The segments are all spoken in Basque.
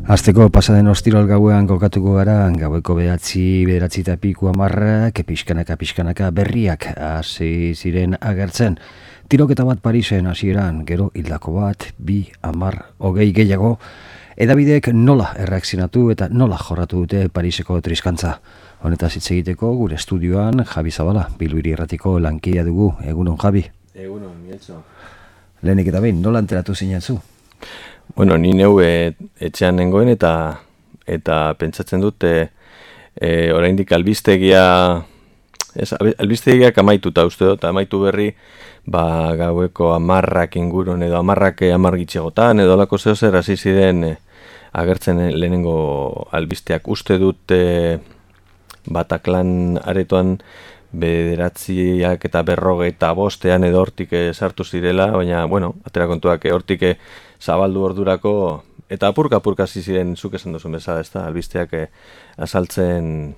Azteko pasaden ostirol gauean kokatuko gara, gaueko bederatzi eta piku hamarrak, pixkanaka berriak hasi ziren agertzen. Tiroketa bat Parisen hasieran, gero hildako bat, 2, 10, 20 gehiago, edabideek nola erreakzionatu eta nola jorratu dute Pariseko triskantza. Honetaz hitz egiteko gure estudioan Javi Zabala, Bilbiri Erratiko lankidea dugu. Egunon, Javi. Egunon, Mieltxo. Lehenik eta behin, nola enteratu zinen zu? Bueno, ni neu etxean nengoen eta pentsatzen dut oraindik albistegiak amaituta uste dut, amaitu berri gaueko 10 ingurun edo 10 gitxegotan edo alako zer hasi ziren agertzen lehenengo albisteak. Uste dut Bataklan aretoan 9 eta 45 edo hortik sartu zirela, baina, bueno, atera kontuak hortik zabaldu ordurako, eta apurka hasi ziren, zuk esan duzun bezala, ez da, albisteak azaltzen,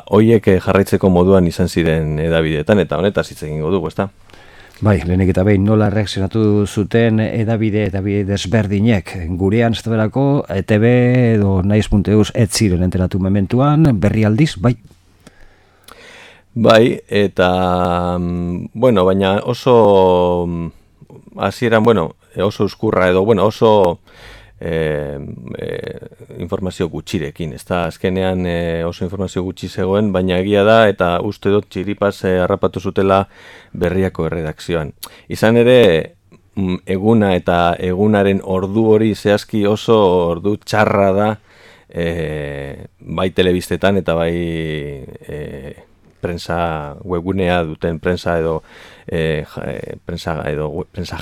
hoiek jarraitzeko moduan izan ziren edabideetan, eta honetaz hitz egingo dugu, ez da? Bai, lehenik eta behin nola reakzionatu zuten edabide desberdinek. Gurean ez dabelako, ETB edo naiz.eus ez ziren enteratu mementuan, berri aldiz, bai? Bai, eta, bueno, baina oso hasieran, oso uskurra edo, oso informazio gutxirekin, ez da, azkenean oso informazio gutxi zegoen, baina egia da, eta uste dut txiripaz harrapatu zutela berriako erredakzioan. Izan ere, eguna eta egunaren ordu hori zehazki oso ordu txarra da, bai telebistetan eta bai prensa webgunea duten prensa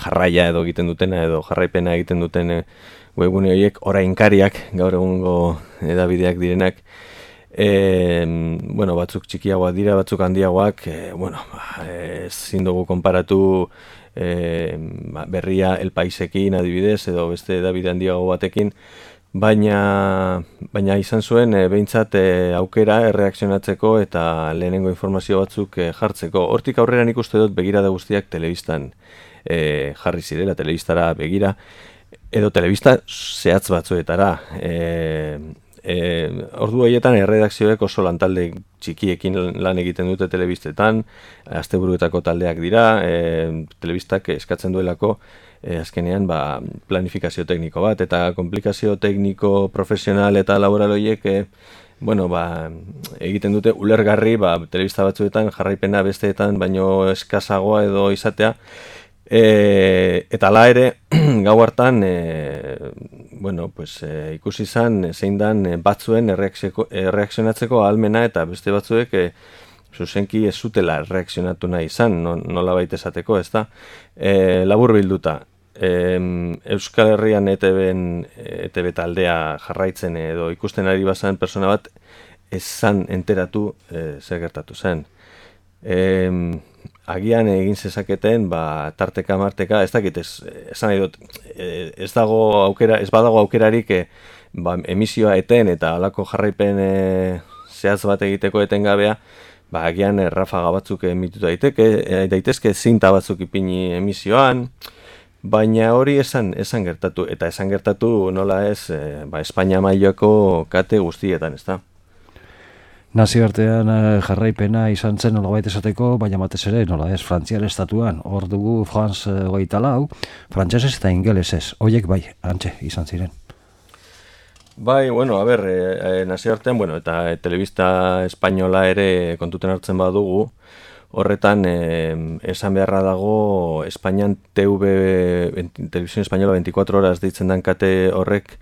jarraia edo egiten dutena edo jarraipena egiten duten webgune horiek orainkariak gaur egungo edabideak direnak. Batzuk txikiagoak dira, batzuk handiagoak, ezin dugu konparatu berria El Paisekin adibidez edo beste edabide handiago batekin, baina izan zuen behintzat aukera erreakzionatzeko eta lehenengo informazio batzuk jartzeko. Hortik aurrera nik uste dut begirada guztiak telebistan jarri zirela, telebistara begira, edo telebista zehatz batzuetara. Ordu horietan erredakzioek oso lantalde txikiekin lan egiten dute telebistetan, asteburuetako taldeak dira, telebistak eskatzen duelako azkenean planifikazio tekniko bat, eta komplikazio tekniko, profesional eta laboral horiek egiten dute ulergarri telebista batzuetan jarraipena besteetan baino eskasagoa edo izatea, eta hala ere gau hartan ikusi izan zein dan batzuen erreakzionatzeko ahalmena eta beste batzuek zuzenki ez zutela erreakzionatu nahi izan, nola baita esateko, ez da? Labur bilduta, Euskal Herrian ETB taldea jarraitzen edo ikusten ari bazan persona bat ezan enteratu zer gertatu zen. Agian egin zezaketen, tarteka marteka, ez dakit, esan nahi dut, ez badago aukerarik emisioa eten eta halako jarraipen zehaz bat egiteko etengabea, agian rafaga batzuk emituta daitezke, zinta batzuk ipini emisioan, baina hori esan gertatu, eta esan gertatu nola ez, Espainia mailako kate guztietan, ez da? Nazioartean jarraipena izan zen nolabait esateko, baina batez ere nola ez, Frantziar estatuan, hor dugu France 24, frantsesez eta ingelesez, horiek bai, antxe izan ziren. Bai, nazioartean, eta telebista espainola ere kontuten hartzen badugu, horretan esan beharra dago Espainian Televisión Española 24 horas deitzen dan kate horrek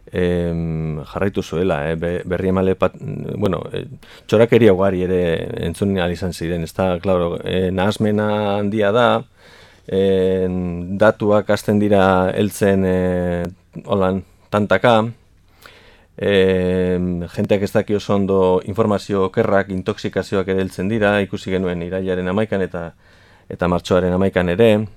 jarraitu zuela, berri emale txorakeria ugari ere entzun ahal izan ziren, ez da, klaro, nahasmena handia da, datuak hasten dira heltzen holan tantaka, jenteak ez daki oso ondo informazio okerrak, intoxikazioak ere heltzen dira, ikusi genuen irailaren 11 eta martxoaren 11 ere.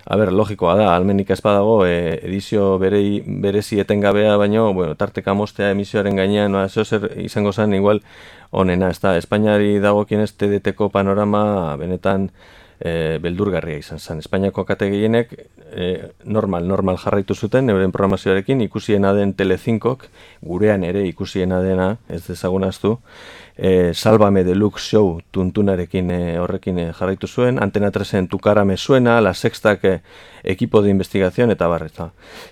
Logikoa da, almenik ez badago, edizio berezi etengabea, baino, tarteka mostea emisioaren gainean, zer izango zen, igual, onena, ez da, Espainiari dagokienez TDT-ko panorama, benetan, beldurgarria izan zen. Espainiako kate gehienek normal jarraitu zuten euren programazioarekin, ikusiena den Telecincok, gurean ere ikusiena dena, ez dezagunaztu, Sálvame Deluxe Show tuntunarekin horrekin jarraitu zuen, Antena 3en Tu cara me suena, La Sextak Equipo de Investigación eta barreta.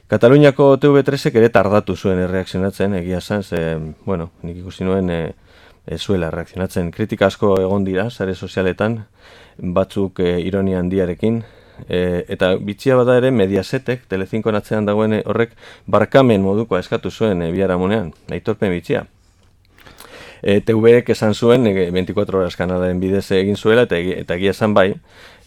Kataluniako TV3ek ere tardatu zuen erreakzionatzen, egia esan, bueno, nik ikusi nuen zuela reakzionatzen. Kritika asko egon dira, sare sozialetan, batzuk ironia handiarekin, eta bitxia bada ere Mediasetek, Telecincoen atzean dagoen horrek, barkamen modukoa eskatu zuen biharamunean, aitorpen bitxia. TV-ek esan zuen 24 horas kanalaren bidez egin zuela, eta egia esan bai,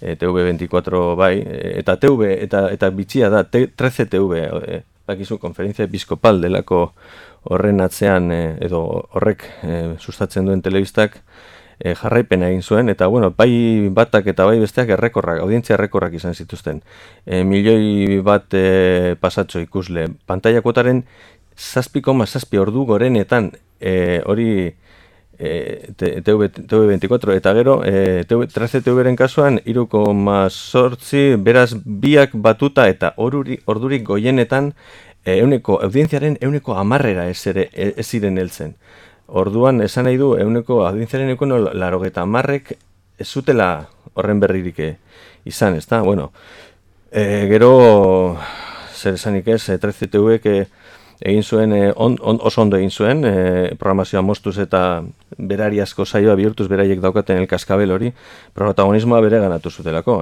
TV24 bai, eta TV, eta bitxia da, 13TV, bakizu, konferentzia episkopal delako horren atzean, edo horrek sustatzen duen telebistak, jarraipena egin zuen, eta bueno, bai batak eta bai besteak errekorrak, audientzia errekorrak izan zituzten. Milioi bat pasatxo ikusle. Pantaila kuotaren 7,7 ordu gorenetan, hori TV24, eta gero 13TV-ren kasuan 3,8, beraz biak batuta eta ordurik goienetan audientziaren 10% ez ziren heltzen. Orduan, esan nahi du, audientziaren 80% ez zutela horren berririk izan, ez da? Bueno, gero, zer esanik ez, 13TV egin zuen, oso ondo egin zuen, programazioa moztuz eta berariazko saioa bihurtuz beraiek daukaten el kaskabel hori, protagonismoa bere ganatu zutelako,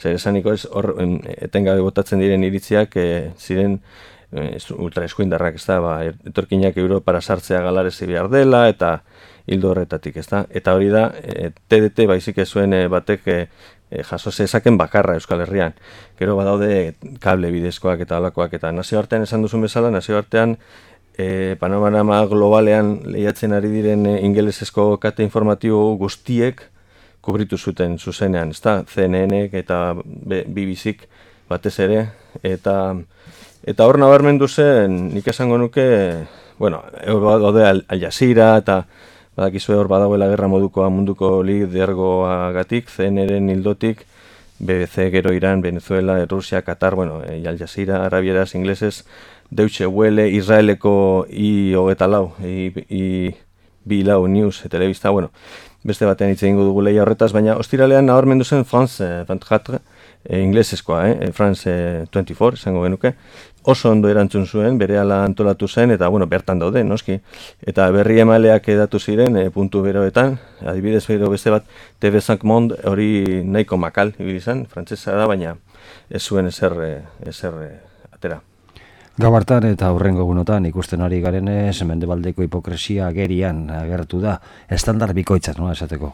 Zer esaniko ez, hor etengabe botatzen diren iritziak ziren ultra eskuindarrak, ez da, etorkinak Europara sartzea galarezi behar dela, eta hildo horretatik, ez da, eta hori da, TDT baizik ez zuen batek jaso zezaken bakarra Euskal Herrian. Gero badaude kable bidezkoak eta alakoak, eta nazioartean esan duzun bezala, nazioartean panorama globalean lehiatzen ari diren ingelesezko kate informatibo guztiek kubritu zuten zuzenean, ez da, CNN-ek eta BBC-k batez ere, eta hor nabarmendu zen, nik esango nuke, bueno, daude Al Jazeera eta badakizue hor badagoela gerra modukoa munduko lidergoagatik, CNN-ren hildotik, BBC, gero Iran, Venezuela, Rusia, Qatar, bueno, Al Jazeera, arabieraz, inglesez, Deutsche Welle, Israeleko I24 News, telebista, bueno, beste batean hitz egingo dugu lehia horretaz, baina ostiralean nabarmendu zen France 24, inglesezkoa, France 24, esango genuke, oso ondo erantzun zuen, berehala antolatu zen, eta bueno, bertan daude, noski. Eta berri emaleak edatu ziren, puntu beroetan, adibidez bero beste bat, TV5 Monde hori nahiko makal, ibizan, frantzesa da, baina ez zuen ezer atera. Gau hartan eta hurrengo egunotan ikusten ari garenez, mendebaldeko hipokresia agerian agertu da, estandar bikoitzak, no, esateko.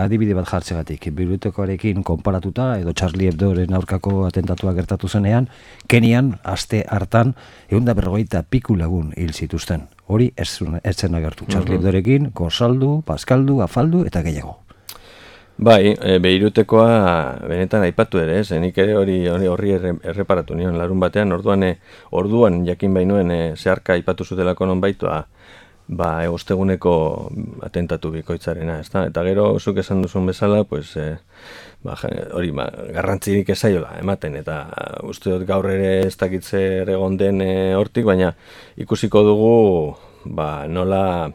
Adibide bat jartzegatik, Bibliotekoarekin konparatuta, edo Charlie Hebdoren aurkako atentatua gertatu zenean, Kenian, aste hartan, 150 piku lagun hil zituzten. Hori ez zen agertu. Charlie Hebdorekin, korsaldu, paskaldu, afaldu eta gehiago. Bai, Beirutekoa benetan aipatu ere, nik ere horri erreparatu nion larun batean, orduan jakin bainuen zeharka aipatu zutelako nonbaitua, osteguneko atentatu bikoitzarena, ezta? Eta gero, zuk esan duzun bezala, pues, hori, garrantzirik ezaiola ematen, eta uste dut gaur ere ez dakitze egon den hortik, baina ikusiko dugu, nola,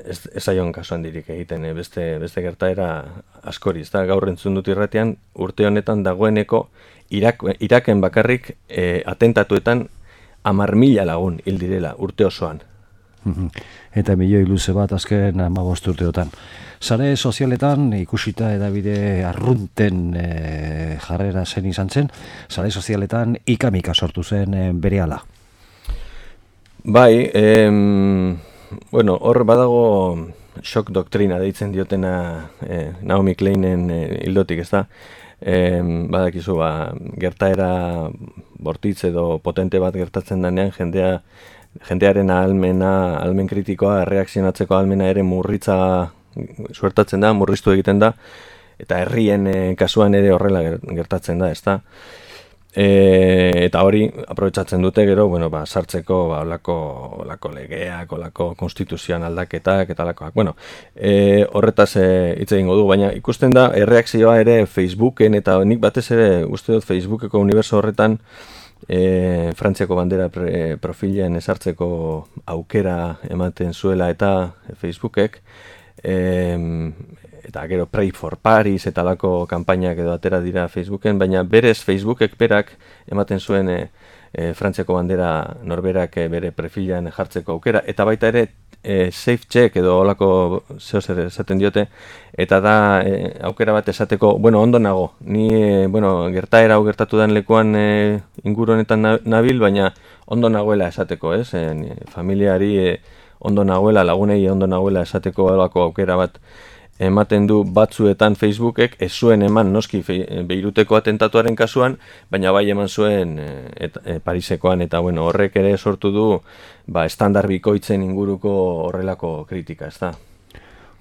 ez aion kasu handirik egiten, beste gertaera askori, ezta? Gaur entzun dut irratean, urte honetan dagoeneko Iraken bakarrik atentatuetan 10.000 lagun hil direla urte osoan. Eta milioi luze bat azken 15 urteotan. Sare sozialetan ikusita edabide arrunten jarrera zen izan zen, sare sozialetan ikamika sortu zen berehala. Bai, bueno, hor badago shock doktrina deitzen diotena Naomi Kleinen hildotik, ez da? Badakizu, gertaera bortitz edo potente bat gertatzen denean, jendearen ahalmen kritikoa, reakzionatzeko ahalmena ere suertatzen da, murriztu egiten da, eta herrien kasuan ere horrela gertatzen da, ezta? Eta hori aprobetxatzen dute gero, sartzeko olako legeak, olako konstituzioan aldaketak eta olakoak. Horretaz hitz egingo du, baina ikusten da erreakzioa ere Facebooken, eta nik batez ere uste dut Facebookeko uniberso horretan Frantziako bandera profilean esartzeko aukera ematen zuela eta Facebookek, eta gero Pray for Paris eta alako kanpainak edo atera dira Facebooken, baina berez Facebookek berak ematen zuen Frantziako bandera norberak bere profilean jartzeko aukera, eta baita ere safe check edo olako zehozer esaten diote, eta da aukera bat esateko, ondo nago, ni gertaera hau gertatu den lekuan inguru honetan nabil, baina ondo nagoela esateko, familiari ondo nagoela, lagunei ondo nagoela esateko olako aukera bat ematen du batzuetan Facebookek, ez zuen eman noski Beiruteko atentatuaren kasuan, baina bai eman zuen Parisekoan, eta horrek ere sortu du estandar bikoitzen inguruko horrelako kritika, ez da.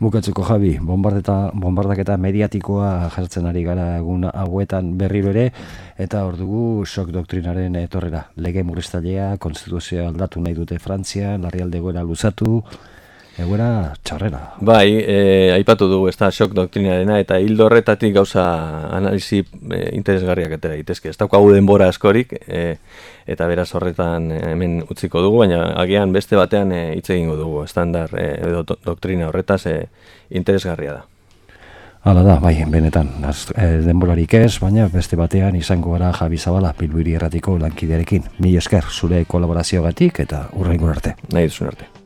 Bukatzeko Javi, bombardaketa mediatikoa jartzen ari gara egun hauetan berriro ere, eta hor dugu shock doktrinaren etorrera. Lege murriztailea, konstituzioa aldatu nahi dute Frantzia, larrialdi egoera luzatu, egoera txarrera. Bai, aipatu dugu ez da shock doktrinarena, eta hildo horretatik gauza analisi interesgarriak atera daitezke. Ez daukagu denbora askorik, eta beraz horretan hemen utziko dugu, baina agian beste batean hitz egingo dugu, estandar edo doktrina horretaz interesgarria da. Hala da, bai, benetan, denborarik ez, baina beste batean izango gara Javi Zabala, Bilbo Hiri Irratiko lankidearekin. Mila esker, zure kolaborazioagatik eta hurrengo arte. Nahi duzun arte.